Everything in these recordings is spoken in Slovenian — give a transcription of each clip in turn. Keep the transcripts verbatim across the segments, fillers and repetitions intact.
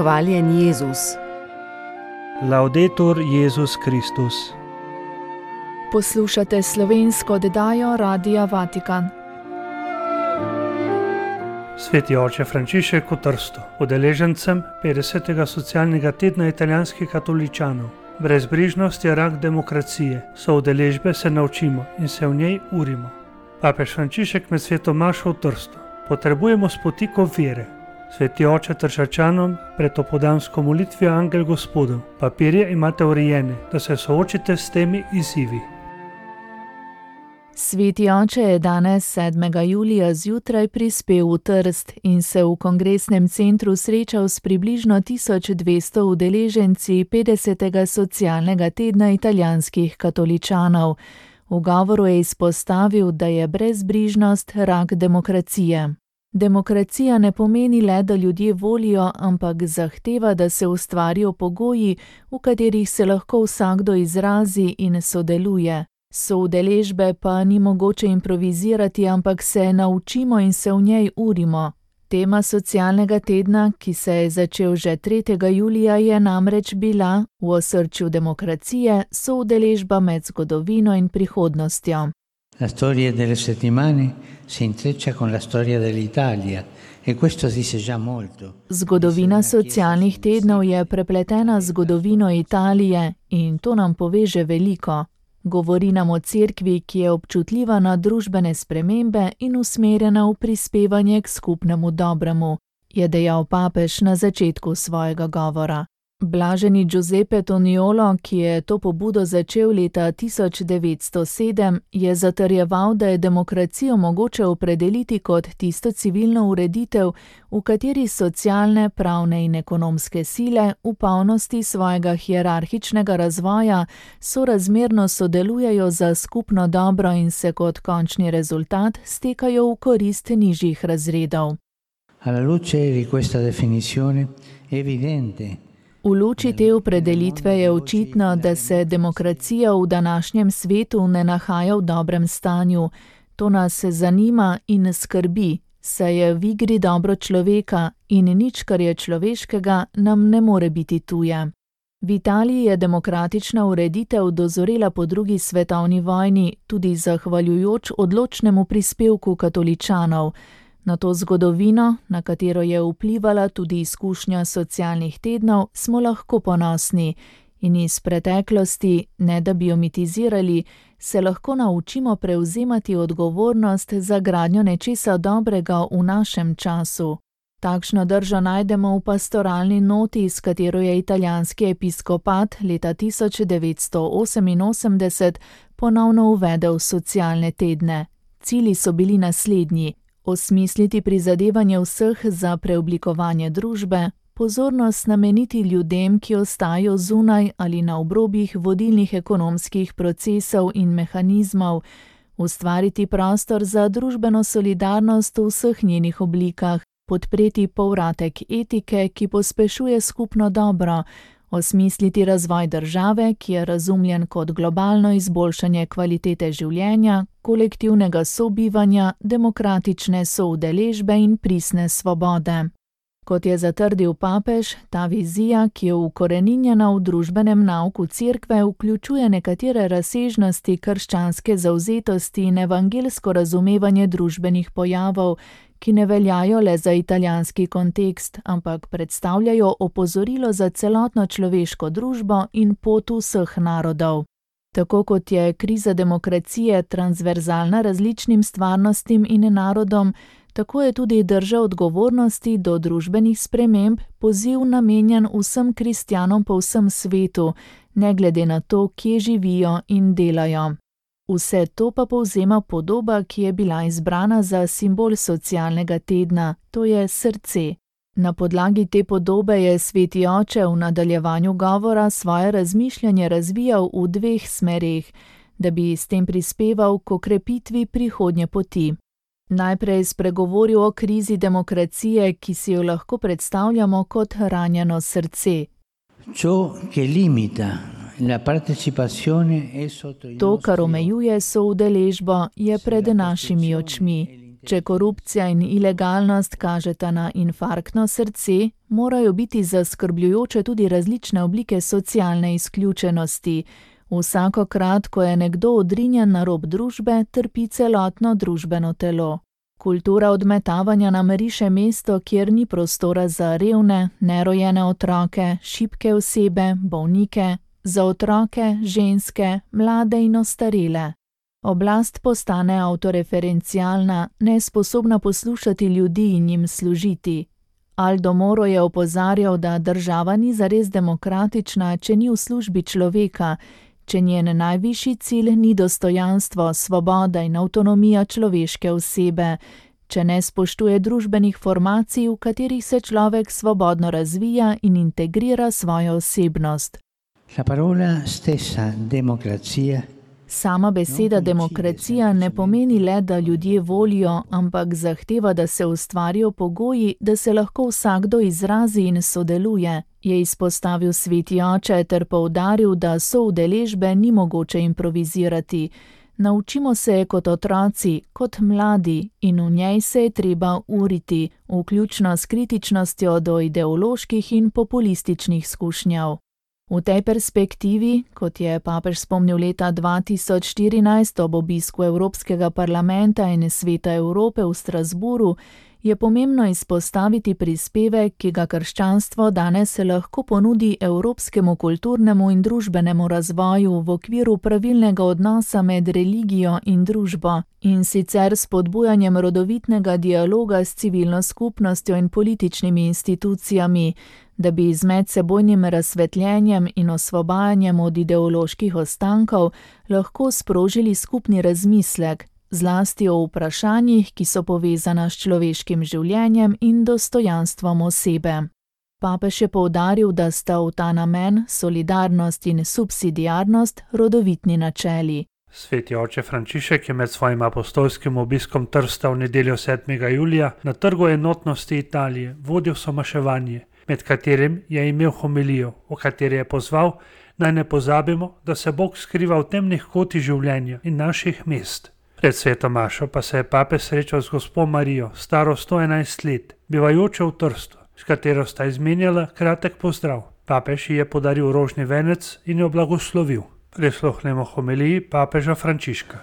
Hvaljen Jezus. Laudetur Jezus Kristus. Poslušate slovensko oddajo Radia Vatikan. Sveti oče Frančišek v Trstu, udeležencem petdesetega socialnega tedna italijanskih katoličanov. Brezbrižnost je rak demokracije, so udeležbe se naučimo in se v njej urimo. Papež Frančišek med sveto mašo v Trstu. Potrebujemo spotikov vere. Sveti oče Tršačanom pred opoldansko molitvijo Angel Gospodov. Papirje imate urejene, da se soočite s temi izzivi. Sveti oče je danes sedmega julija zjutraj prispel v Trst in se v kongresnem centru srečal s približno tisoč dvesto udeleženci petdesetega socialnega tedna italijanskih katoličanov. V govoru je izpostavil, da je brezbrižnost rak demokracije. Demokracija ne pomeni le, da ljudje volijo, ampak zahteva, da se ustvarijo pogoji, v katerih se lahko vsakdo izrazi in sodeluje. Soudeležbe pa ni mogoče improvizirati, ampak se naučimo in se v njej urimo. Tema socialnega tedna, ki se je začel že tretjega julija, je namreč bila v osrčju demokracije soudeležba med zgodovino in prihodnostjo. La storia delle settimane si intreccia con la storia dell'Italia e questo dice già molto. Zgodovina socialnih tednov je prepletena z zgodovino Italije in to nam pove že veliko. Govori nam o cerkvi, ki je občutljiva na družbene spremembe in usmerjena v prispevanje k skupnemu dobremu, je dejal papež na začetku svojega govora. Blaženi Giuseppe Toniolo, ki je to pobudo začel leta tisoč devetsto sedem, je zatrjeval, da je demokracijo mogoče opredeliti kot tisto civilno ureditev, v kateri socialne, pravne in ekonomske sile v polnosti svojega hierarhičnega razvoja sorazmerno sodelujejo za skupno dobro in se kot končni rezultat stekajo v korist nižjih razredov. Alla luce di questa definizione è evidente. V luči te opredelitve je očitno, da se demokracija v današnjem svetu ne nahaja v dobrem stanju. To nas zanima in skrbi, saj je v igri dobro človeka in nič, kar je človeškega, nam ne more biti tuje. V Italiji je demokratična ureditev dozorela po drugi svetovni vojni, tudi zahvaljujoč odločnemu prispevku katoličanov. Na to zgodovino, na katero je vplivala tudi izkušnja socialnih tednov, smo lahko ponosni in iz preteklosti, ne da bi jo mitizirali, se lahko naučimo prevzemati odgovornost za gradnjo nečesa dobrega v našem času. Takšno držo najdemo v pastoralni noti, s katero je italijanski episkopat leta tisoč devetsto oseminosemdeset ponovno uvedel socialne tedne. Cilji so bili naslednji. Osmisliti prizadevanje vseh za preoblikovanje družbe, pozornost nameniti ljudem, ki ostajajo zunaj ali na obrobjih vodilnih ekonomskih procesov in mehanizmov, ustvariti prostor za družbeno solidarnost v vseh njenih oblikah, podpreti povratek etike, ki pospešuje skupno dobro, osmisliti razvoj države, ki je razumljen kot globalno izboljšanje kvalitete življenja, kolektivnega sobivanja, demokratične soudeležbe in pristne svobode. Kot je zatrdil papež, ta vizija, ki je ukoreninjena v družbenem nauku cerkve, vključuje nekatere razsežnosti krščanske zavzetosti in evangelsko razumevanje družbenih pojavov, ki ne veljajo le za italijanski kontekst, ampak predstavljajo opozorilo za celotno človeško družbo in pot vseh narodov. Tako kot je kriza demokracije transverzalna različnim stvarnostim in narodom, tako je tudi drža odgovornosti do družbenih sprememb poziv namenjen vsem kristjanom po vsem svetu, ne glede na to, kje živijo in delajo. Vse to pa povzema podoba, ki je bila izbrana za simbol socialnega tedna, to je srce. Na podlagi te podobe je sveti oče v nadaljevanju govora svoje razmišljanje razvijal v dveh smereh, da bi s tem prispeval k okrepitvi prihodnje poti. Najprej spregovoril o krizi demokracije, ki si jo lahko predstavljamo kot ranjeno srce. Ciò che limita la partecipazione è sotto i To, kar omejuje soudeležbo, je pred našimi očmi. Če korupcija in ilegalnost kažeta na infarktno srce, morajo biti zaskrbljujoče tudi različne oblike socialne izključenosti. Vsakokrat, ko je nekdo odrinjen na rob družbe, trpi celotno družbeno telo. Kultura odmetavanja nam riše mesto, kjer ni prostora za revne, nerojene otroke, šibke osebe, bolnike, za otroke, ženske, mlade in ostarele. Oblast postane avtoreferencialna, nesposobna poslušati ljudi in jim služiti. Aldo Moro je opozarjal, da država ni zares demokratična, če ni v službi človeka, če njen najvišji cilj ni dostojanstvo, svoboda in avtonomija človeške osebe, če ne spoštuje družbenih formacij, v katerih se človek svobodno razvija in integrira svojo osebnost. La parola stessa democrazia. Sama beseda demokracija ne pomeni le, da ljudje volijo, ampak zahteva, da se ustvarijo pogoji, da se lahko vsakdo izrazi in sodeluje, je izpostavil sveti oče ter poudaril, da soudeležbe ni mogoče improvizirati. Naučimo se je kot otroci, kot mladi in v njej se je treba uriti, vključno s kritičnostjo do ideoloških in populističnih skušnjav. V tej perspektivi, kot je papež spomnil leta dva tisoč štirinajst ob obisku Evropskega parlamenta in Sveta Evrope v Strasburu, je pomembno izpostaviti prispevek, ki ga krščanstvo danes lahko ponudi evropskemu kulturnemu in družbenemu razvoju v okviru pravilnega odnosa med religijo in družbo, in sicer s spodbujanjem rodovitnega dialoga s civilno skupnostjo in političnimi institucijami, da bi z medsebojnim razsvetljenjem in osvobajanjem od ideoloških ostankov lahko sprožili skupni razmislek, zlasti o vprašanjih, ki so povezana s človeškim življenjem in dostojanstvom osebe. Papež je poudaril, da sta v ta namen solidarnost in subsidiarnost rodovitni načeli. Sveti oče Frančišek je med svojim apostolskim obiskom Trsta v nedeljo sedmega julija na Trgu enotnosti Italije vodil somaševanje, med katerim je imel homilijo, v kateri je pozval, naj ne pozabimo, da se Bog skriva v temnih kotih življenja in naših mest. Pred sveto mašo pa se je papež srečal z gospo Marijo, staro sto enajst let, bivajočo v Trstu, s katero sta izmenjala kratek pozdrav. Papež ji je podaril rožni venec in jo blagoslovil. Prisluhnemo homiliji papeža Frančiška.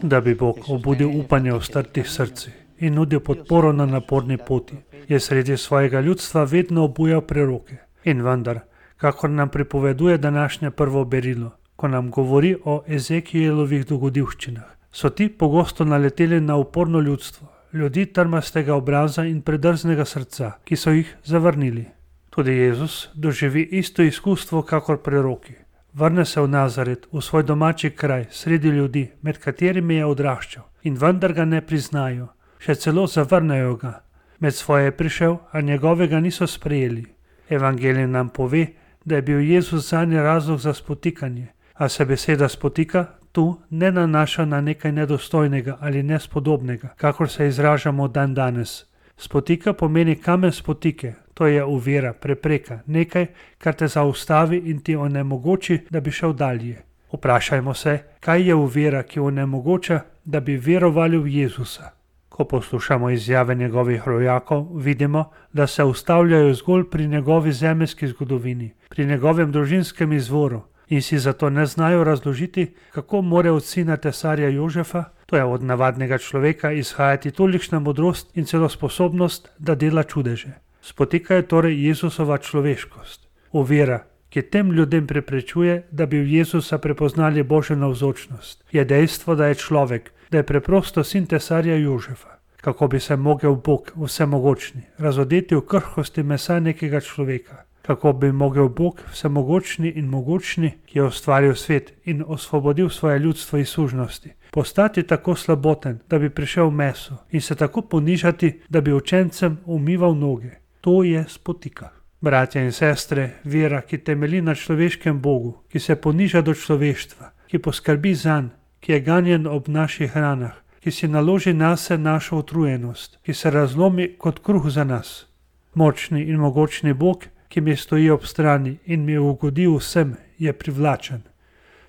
Da bi Bog obudil upanje v strtih srcih in nudil podporo na naporni poti, je sredi svojega ljudstva vedno obujal preroke. In vendar, kakor nam pripoveduje današnje prvo berilo, ko nam govori o Ezekielovih dogodivščinah, so ti pogosto naleteli na uporno ljudstvo, ljudi trmastega obraza in predrznega srca, ki so jih zavrnili. Tudi Jezus doživi isto izkustvo kakor preroki. Vrne se v Nazaret, v svoj domači kraj, sredi ljudi, med katerimi je odraščal, in vendar ga ne priznajo, še celo zavrnejo ga. Med svoje je prišel, a njegovega niso sprejeli. Evangelij nam pove, da je bil Jezus zanje razlog za spotikanje, a se beseda spotika tu ne nanaša na nekaj nedostojnega ali nespodobnega, kakor se izražamo dan danes. Spotika pomeni kamen spotike, to je ovira, prepreka, nekaj, kar te zaustavi in ti onemogoči, da bi šel dalje. Vprašajmo se, kaj je ovira, ki onemogoča, da bi verovali v Jezusa. Ko poslušamo izjave njegovih rojakov, vidimo, da se ustavljajo zgolj pri njegovi zemeljski zgodovini, pri njegovem družinskem izvoru in si zato ne znajo razložiti, kako more od sina tesarja Jožefa, to je od navadnega človeka, izhajati tolikšna modrost in celo sposobnost, da dela čudeže. Spotika je torej Jezusova človeškost. Ovira, ki tem ljudem preprečuje, da bi v Jezusa prepoznali Božjo navzočnost, je dejstvo, da je človek, da je preprosto sin tesarja Jožefa. Kako bi se mogel Bog, vsemogočni, razodeti v krhkosti mesa nekega človeka? Kako bi mogel Bog, vsemogočni in mogočni, ki je ustvaril svet in osvobodil svoje ljudstvo iz sužnosti, postati tako slaboten, da bi prišel v meso in se tako ponižati, da bi učencem umival noge? To je spotika. Bratje in sestre, vera, ki temelji na človeškem Bogu, ki se poniža do človeštva, ki poskrbi zanj, ki je ganjen ob naših ranah, ki si naloži nase našo utrujenost, ki se razlomi kot kruh za nas. Močni in mogočni Bog, ki mi stoji ob strani in mi ugodi vsem, je privlačen.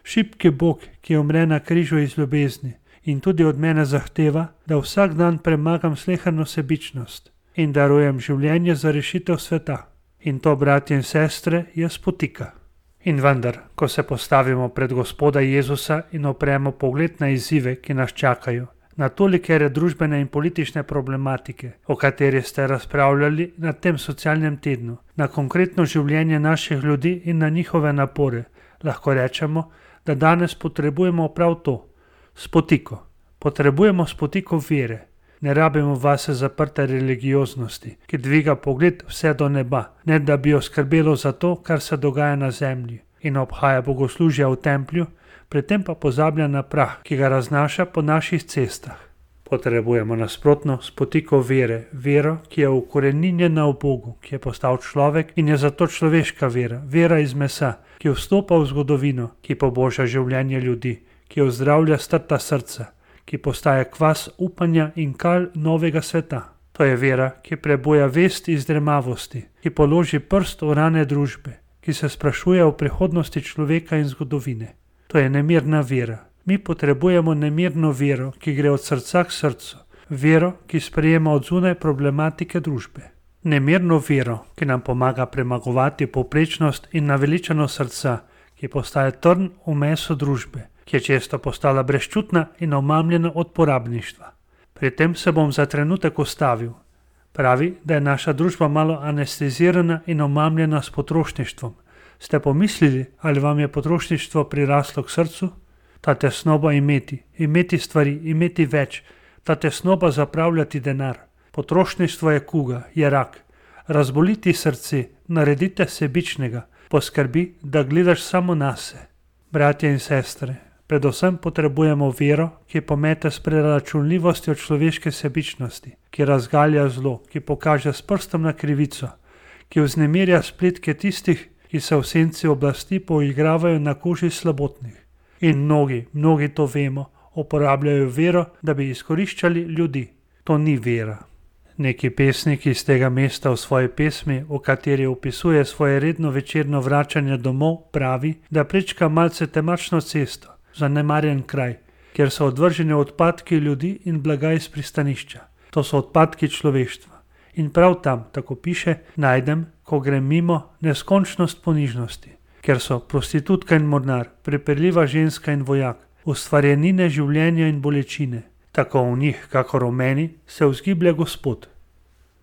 Šibki Bog, ki umre na križu iz ljubezni, in tudi od mene zahteva, da vsak dan premagam sleherno sebičnost in darujem življenje za rešitev sveta. In to, bratje in sestre, je spotika. In vendar, ko se postavimo pred Gospoda Jezusa in opremo pogled na izzive, ki nas čakajo, na tolikere družbene in politične problematike, o kateri ste razpravljali na tem socialnem tednu, na konkretno življenje naših ljudi in na njihove napore, lahko rečemo, da danes potrebujemo prav to, spotiko. Potrebujemo spotiko vere. Ne rabimo vase zaprte religioznosti, ki dviga pogled vse do neba, ne da bi jo skrbelo za to, kar se dogaja na zemlji, in obhaja bogoslužja v templju, pri tem pa pozablja na prah, ki ga raznaša po naših cestah. Potrebujemo nasprotno spotiko vere, vero, ki je ukoreninjena v Bogu, ki je postal človek in je zato človeška vera, vera iz mesa, ki vstopa v zgodovino, ki poboža življenje ljudi, ki ozdravlja strta srca, ki postaja kvas upanja in kal novega sveta. To je vera, ki prebuja vest iz dremavosti, ki položi prst v rane družbe, ki se sprašuje o prihodnosti človeka in zgodovine. To je nemirna vera. Mi potrebujemo nemirno vero, ki gre od srca k srcu, vero, ki sprejema od zunaj problematike družbe. Nemirno vero, ki nam pomaga premagovati povprečnost in naveličanost srca, ki postaje trn v mesu družbe, ki je često postala brezčutna in omamljena od porabništva. Pri tem se bom za trenutek ustavil. Pravi, da je naša družba malo anestezirana in omamljena s potrošništvom. Ste pomislili, ali vam je potrošništvo priraslo k srcu? Ta tesnoba imeti, imeti stvari, imeti več, ta tesnoba zapravljati denar. Potrošništvo je kuga, je rak. Razboliti srce, naredite sebičnega, poskrbi, da gledaš samo nase. Bratje in sestre, predvsem potrebujemo vero, ki pomete s preračunljivostjo človeške sebičnosti, ki razgalja zlo, ki pokaže s prstom na krivico, ki vznemirja splitke tistih, ki se v senci oblasti poigravajo na koži slabotnih. In mnogi, mnogi to vemo, uporabljajo vero, da bi izkoriščali ljudi. To ni vera. Neki pesnik iz tega mesta v svoji pesmi, v kateri opisuje svoje redno večerno vračanje domov, pravi, da prečka malce temačno cesto, zanemarjen kraj, kjer so odvrženi odpadki ljudi in blaga iz pristanišča. To so odpadki človeštva. In prav tam, tako piše, najdem, ko grem mimo, neskončnost ponižnosti, ker so prostitutka in mornar, prepirljiva ženska in vojak, ustvarjenine življenja in bolečine. Tako v njih, kakor v meni, se vzgiblja Gospod.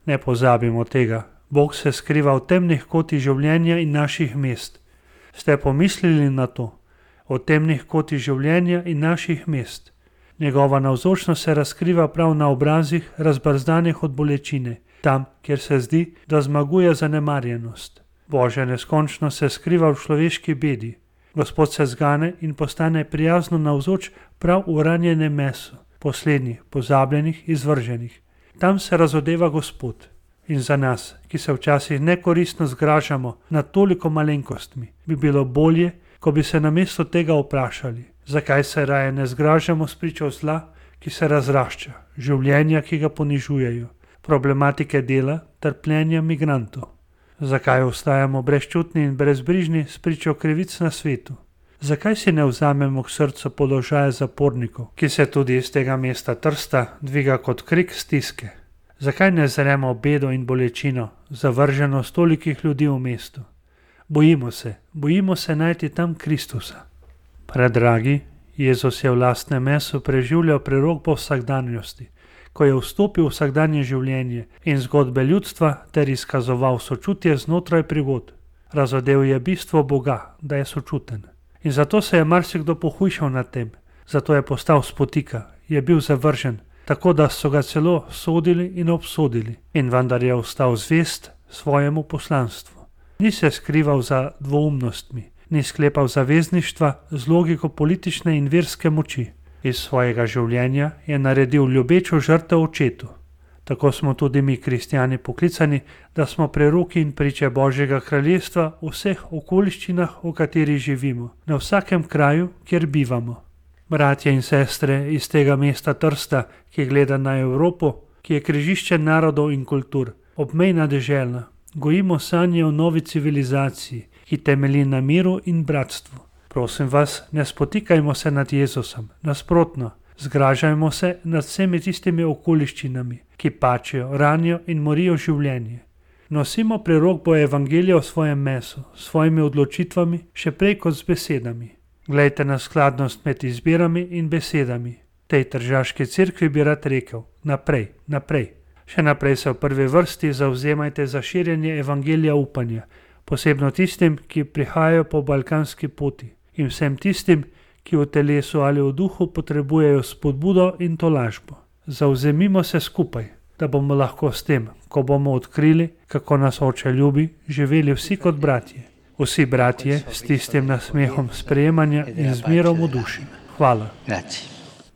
Ne pozabimo tega, Bog se skriva v temnih kotih življenja in naših mest. Ste pomislili na to? O temnih kotih življenja in naših mest. Njegova navzočnost se razkriva prav na obrazih, razbrzdanih od bolečine, tam, kjer se zdi, da zmaguje zanemarjenost. Božja neskončnost se skriva v človeški bedi. Gospod se zgane in postane prijazno navzoč prav v ranjenem mesu, poslednjih, pozabljenih, izvrženih. Tam se razodeva Gospod. In za nas, ki se včasih nekoristno zgražamo nad toliko malenkostmi, bi bilo bolje, ko bi se namesto tega vprašali, zakaj se raje ne zgražamo spričo zla, ki se razrašča, življenja, ki ga ponižujejo, problematike dela, trpljenja migrantov. Zakaj ostajamo brezčutni in brezbrižni spričo krivic na svetu? Zakaj si ne vzamemo k srcu položaja zapornikov, ki se tudi iz tega mesta Trsta dviga kot krik stiske? Zakaj ne zremo bedo in bolečino, zavrženost tolikih ljudi v mestu? Bojimo se, bojimo se najti tam Kristusa. Predragi, Jezus je v lastnem mesu preživljal prerok po vsakdanjosti, ko je vstopil v vsakdanje življenje in zgodbe ljudstva ter izkazoval sočutje znotraj prigod. Razodel je bistvo Boga, da je sočuten. In zato se je marsikdo pohujšal nad tem, zato je postal spotika, je bil zavržen, tako da so ga celo sodili in obsodili, in vendar je ostal zvest svojemu poslanstvu. Ni se skrival za dvoumnostmi, ni sklepal zavezništva z logiko politične in verske moči. Iz svojega življenja je naredil ljubečo žrtev očetu. Tako smo tudi mi, kristjani, poklicani, da smo preroki in priče Božjega kraljestva v vseh okoliščinah, v katerih živimo, na vsakem kraju, kjer bivamo. Bratje in sestre iz tega mesta Trsta, ki gleda na Evropo, ki je križišče narodov in kultur, obmejna dežela, gojimo sanje o novi civilizaciji, ki temelji na miru in bratstvu. Prosim vas, ne spotikajmo se nad Jezusom, nasprotno, Zgražajmo se nad vsemi tistimi okoliščinami, ki pačijo, ranijo in morijo življenje. Nosimo prerok bo evangelija v svojem mesu, s svojimi odločitvami, še prej kot z besedami. Glejte na skladnost med izbirami in besedami. Tej tržaški cerkvi bi rad rekel, naprej, naprej. Še naprej se v prvi vrsti zavzemajte za širjenje evangelija upanja, posebno tistim, ki prihajajo po balkanski poti in vsem tistim, ki v telesu ali v duhu potrebujejo spodbudo in tolažbo. Zavzemimo se skupaj, da bomo lahko s tem, ko bomo odkrili, kako nas Oče ljubi, živeli vsi kot bratje. Vsi bratje s tistim nasmehom sprejemanja in zmerom v duši. Hvala.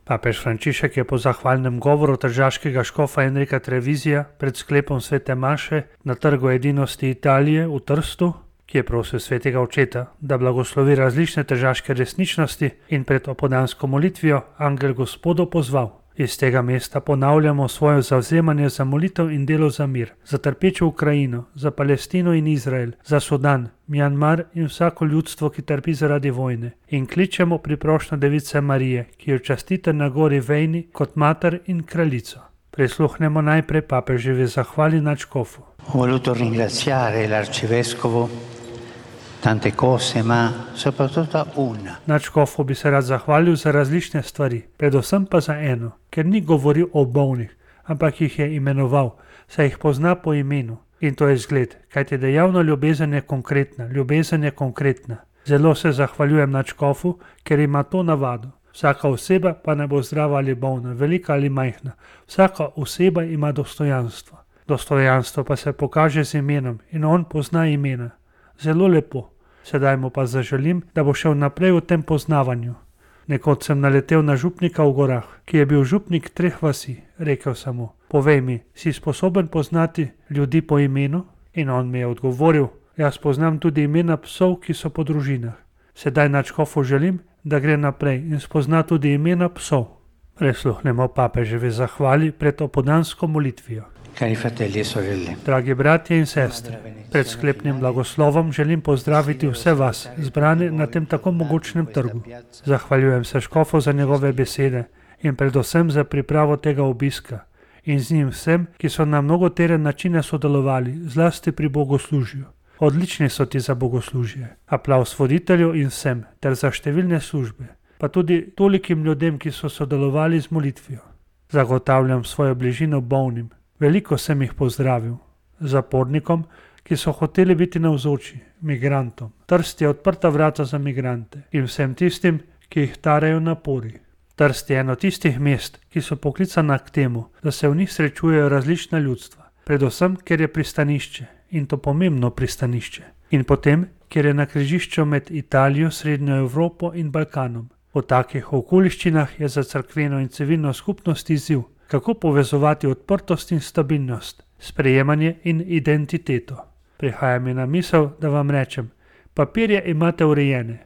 Papež Frančišek je po zahvalnem govoru tržaškega škofa Enrika Trevizija pred sklepom svete maše na Trgu edinosti Italije v Trstu, ki je prosil svetega očeta, da blagoslovi različne tržaške resničnosti, in pred opoldansko molitvijo angel Gospodov pozval. Iz tega mesta ponavljamo svoje zavzemanje za molitev in delo za mir, za trpečo Ukrajino, za Palestino in Izrael, za Sudan, Mjanmar in vsako ljudstvo, ki trpi zaradi vojne, in kličemo priprošnjo Device Marije, ki jo častite na gori Vejni kot mater in kraljico. Prisluhnemo najprej papeževi zahvali nadškofu. Voluto ringraziare l'arcivescovo tante cose, ma soprattutto una. Nadškofu bi se rad zahvalil za različne stvari, predvsem pa za eno, ker ni govoril o bolnih, ampak jih je imenoval, saj jih pozna po imenu. In to je zgled, kajti dejavna ljubezen je konkretna, ljubezen je konkretna. Zelo se zahvaljujem nadškofu, ker ima to navado. Vsaka oseba pa ne bo zdrava ali bolna, velika ali majhna. Vsaka oseba ima dostojanstvo. Dostojanstvo pa se pokaže z imenom in on pozna imena. Zelo lepo. Sedaj mu pa zaželim, da bo šel naprej v tem poznavanju. Nekoč sem naletel na župnika v gorah, ki je bil župnik treh vasi. Rekel sem mu, povej mi, si sposoben poznati ljudi po imenu? In on mi je odgovoril, jaz poznam tudi imena psov, ki so po družinah. Sedaj nadškofu želim, da gre naprej in spozna tudi imena psov. Prisluhnemo papeževi zahvali pred opoldansko molitvijo. Cari fratelli e sorelle. Dragi bratje in sestre, pred sklepnim blagoslovom želim pozdraviti vse vas, zbrane na tem tako mogočnem trgu. Zahvaljujem se škofu za njegove besede in predvsem za pripravo tega obiska in z njim vsem, ki so na mnogotere načine sodelovali, zlasti pri bogoslužju. Odlični so ti za bogoslužje. Aplavz voditelju in vsem, ter za številne službe, pa tudi tolikim ljudem, ki so sodelovali z molitvijo. Zagotavljam svojo bližino bolnim. Veliko sem jih pozdravil. Zapornikom, ki so hoteli biti navzoči, migrantom. Trst je odprta vrata za migrante in vsem tistim, ki jih tarejo napori. Trst je eno tistih mest, ki so poklicana k temu, da se v njih srečujejo različna ljudstva. Predvsem, ker je pristanišče, in to pomembno pristanišče. In potem, ker je na križišču med Italijo, Srednjo Evropo in Balkanom. V takih okoliščinah je za cerkveno in civilno skupnost izziv, kako povezovati odprtost in stabilnost, sprejemanje in identiteto. Prihaja mi na misel, da vam rečem, papirje imate urejene.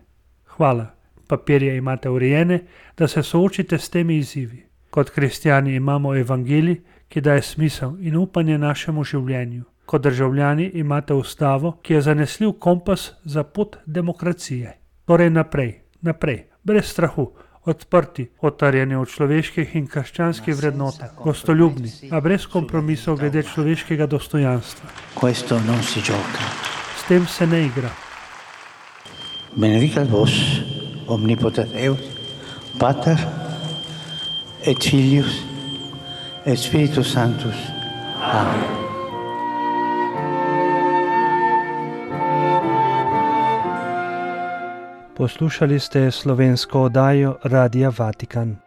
Hvala, papirje imate urejene, da se soočite s temi izzivi. Kot kristjani imamo evangelij, ki daje smisel in upanje našemu življenju. Kot državljani imate ustavo, ki je zanesljiv kompas za pot demokracije. Torej naprej, naprej, brez strahu, odprti, otarjeni od človeških in krščanskih vrednotah, gostoljubni, a brez kompromisov glede človeškega dostojanstva. Questo non si gioca. S tem se ne igra. Benedicat vos, omnipotent Deus, Pater, et Filius, et Spiritus Sanctus. Amen. Poslušali ste slovensko oddajo Radia Vatikan.